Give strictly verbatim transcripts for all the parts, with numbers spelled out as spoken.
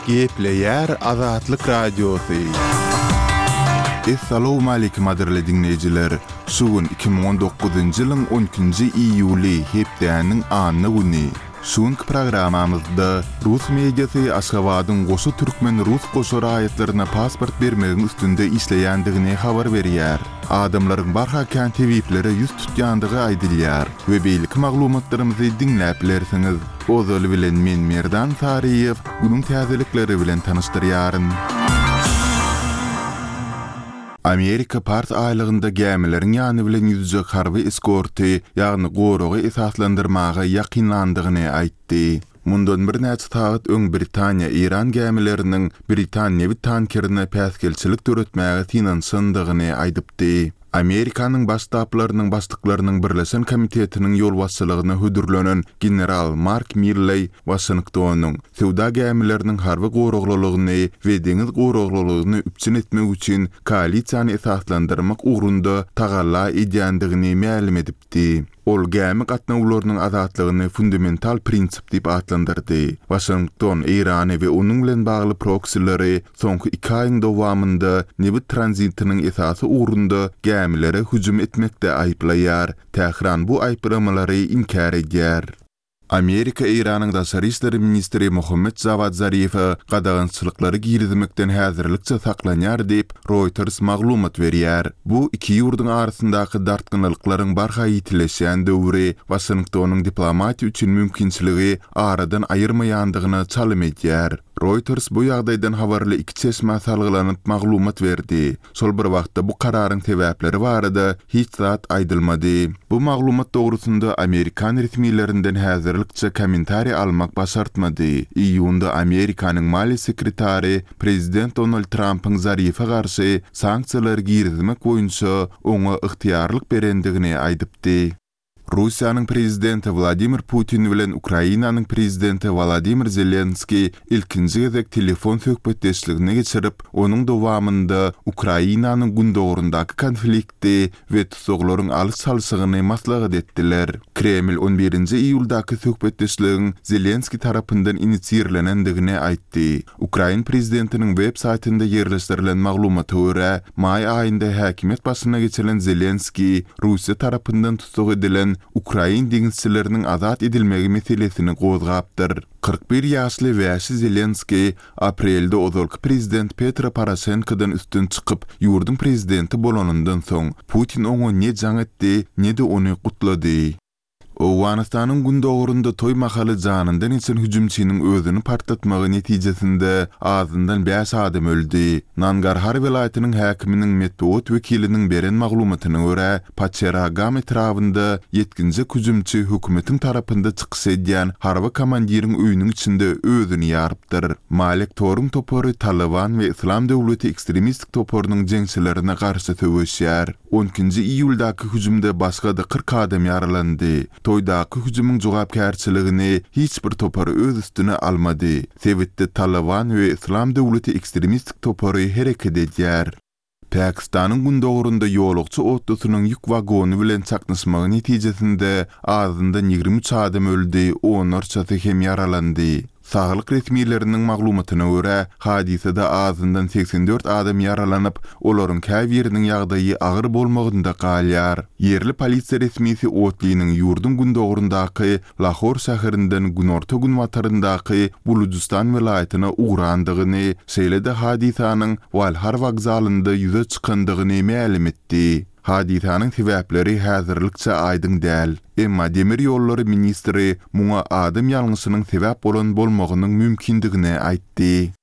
Gepleýär Azatlyk Radiosy. Essalawmaleýkim gadyrly diňleýjiler! Şu gün iki müň on dokuzynjy ýylyň on ikinji iýuly, hepdäniň anna güni. Şu günki programmamyzda rus mediasy Aşgabadyň goşa türkmen-rus goşa raýatlaryna pasport bermegiň üstünde işleýändigini habar berýär. Adamlaryň barha kän tebiplere ýüz tutýandygy aýdylýar we beýleki maglumatlarymyzy diňläp bilersiňiz. Ozaly bilen men Merdan Saryýew günüň täzelikleri bilen tanyşdyrýaryn. Amerika Pars aýlagynda gämileriň ýany bilen ýüzjek harby eskorty, ýagny goragy esaslandyrmaga ýakynlandygyny aýtdy. Mundan birnäçe sagat öň Britaniýa Eýran gämileriniň britan nebit tankerine päsgelçilik döretmäge synanyşandygyny aýdypdy. Amerikanyň Baş ştablarynyň başlyklarynyň birleşen komitetiniň ýolbaşçylygyna hödürlenen general Mark Milleý Waşingtonyň söwda gämileriniň harby goraglylygyny we deňiz goraglylygyny üpjün etmek üçin koalisiýany esaslandyrmak ugrunda tagalla edýändigini mälim edipdi. Ol gämi gatnawlarynyň azatlygyny fundamental prinsip diýip atlandyrdy. Waşington Eýrany we onuň bilen bagly proksileri soňky iki aýyň dowamynda nebit tranzitiniň esasy ugrunda gämilere hüjüm etmekde aýyplaýar. Tähran bu aýyplamalary inkär edýär. Amerika Eýranyň daşary işler ministri Mohammed Jawad Zarife gadagançylyklary girizmekden häzirlikçe saklanýar diýip, Reuters maglumat berýär. Bu iki ýurduň arasyndaky dartgynlyklaryň barha ýitileşýän döwri Waşingtonyň diplomatiýa üçin mümkinçiligi aradan aýyrmaýandygyna çalym edýär. Reuters bu ýagdaýdan habarly iki çeşmä salgylanyp maglumat berdi. Şol bir wagtda bu kararyň sebäpleri barada hiç zat aýdylmady. Bu maglumat dogrusynda Amerikan resmilerinden häzirlikçe kommentariý almak başartmady. Iýunda Amerikanyň maliýe sekretary prezident Donald Trampyň Zarife garşy sanksiýalary girizmek boýunça oňa ygtyýarlyk berendigini aýdypdy. Russiýanyň prezidenti Wladimir Putin bilen Ukrainanyň prezidenti Wolodymyr Zelenskiý ilkinji gezek telefon söhbetdeşligini geçirip, onuň dowamynda Ukrainanyň gündogaryndaky konflikti we tussaglaryň alyş-çalşygyny maslahat etdiler. Kreml on birinji iýuldaky söhbetdeşligiň Zelenskiý tarapyndan inisiirlenendigini aýtdy. Ukrain prezidentiniň web saýtynda ýerleşdirilen maglumata görä, maý aýynda häkimiýet başyna geçiren Zelenskiý Russiýa tarapyndan tussag edilen ukrain deňizçileriniň azat edilmegi meselesini gozgapdyr. Kyrk bir ýaşly wäşi Zelenskiý aprelde ozalky prezident Petro Poroşenkodan üstün çykyp, ýurduň prezidenti bolanyndan soň Putin oňa ne jaň etdi, ne-de ony gutlady. Owganystanyň gündogarynda toý mahaly janyndan geçen hüjümçiniň özüni partlatmagy netijesinde azyndan bäş adam öldi. Nangarhar welaýatynyň häkiminiň metbugat wekiliniň beren maglumatyna görä, Paçeragam etrabynda ýetginjek hüjümçi hökümetiň tarapynda çykyş edýän harby komandiriň öýüniň içinde özüni ýarypdyr. Malek Toruň topary Taliban we Islam döwleti ekstremistik toparynyň jeňçilerine garşy söweşýär. On ikinji iýuldaky hüjümde başga-da kyrk adam ýaralandy. Toýdaky hüjümiň jogapkärçiligini hiç bir topar öz üstüne almady. Sebitde Taliban we Islam döwleti ekstremistik topary hereket edýär. Pakistanyň gündogarynda ýolagçy otlusynyň ýük wagony bilen çaknyşmagy netijesinde azyndan ýigrimi üç adam öldi, onlarçasy hem ýaralandy. Saglyk resmileriniň maglumatyna görä, hadysada azyndan seksen dört adam ýaralanyp, olaryň käbiriniň ýagdaýy agyr bolmagynda galýar. Ýerli polisiýa resmisi otlynyň ýurduň gündogaryndaky Lahor şäherinden günorta-günbataryndaky Bulujystan welaýatyna ugrandygyny, şeýle-de hadysanyň Walhar wokzalynda ýüze çykandygyny mälim etdi. Hadysanyň sebäpleri häzirlikçe aýdyň däl. Emma demir ýollary ministri muňa adam ýalňyşynyň sebäp bolan bolmagynyň mümkindigini aýtdy.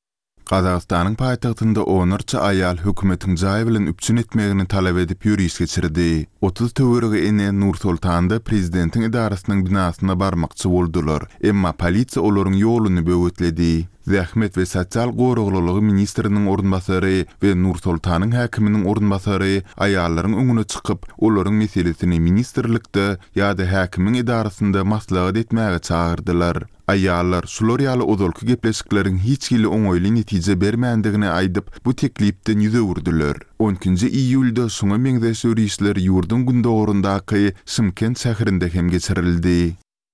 Gazagystanyň paýtagtynda onlarça aýal hökümetiň jaý bilen üpjün etmegini talap edip ýöriş geçirdi. Otuz töweregi ene Nur-Sultanda prezidentiň edarasynyň binasyna barmakçy boldular, emma polisiýa olaryň ýoluny böwetledi. Zähmet we sosial goraglylygy ministriniň orunbasary we Nur-Sultanyň häkiminiň orunbasary aýallaryň öňüne çykyp, olaryň meselesini ministrlikde ýa-da häkimiň edarasynda maslahat etmäge çagyrdylar. Aýallar şular ýaly ozalky gepleşikleriň hiç hili oňaýly netije bermändigini aýdyp, bu teklipden ýüz öwürdiler. On ikinji iýulda şuňa meňzeş ýörişler ýurduň gündogaryndaky Şymkent şäherinde hem geçirildi.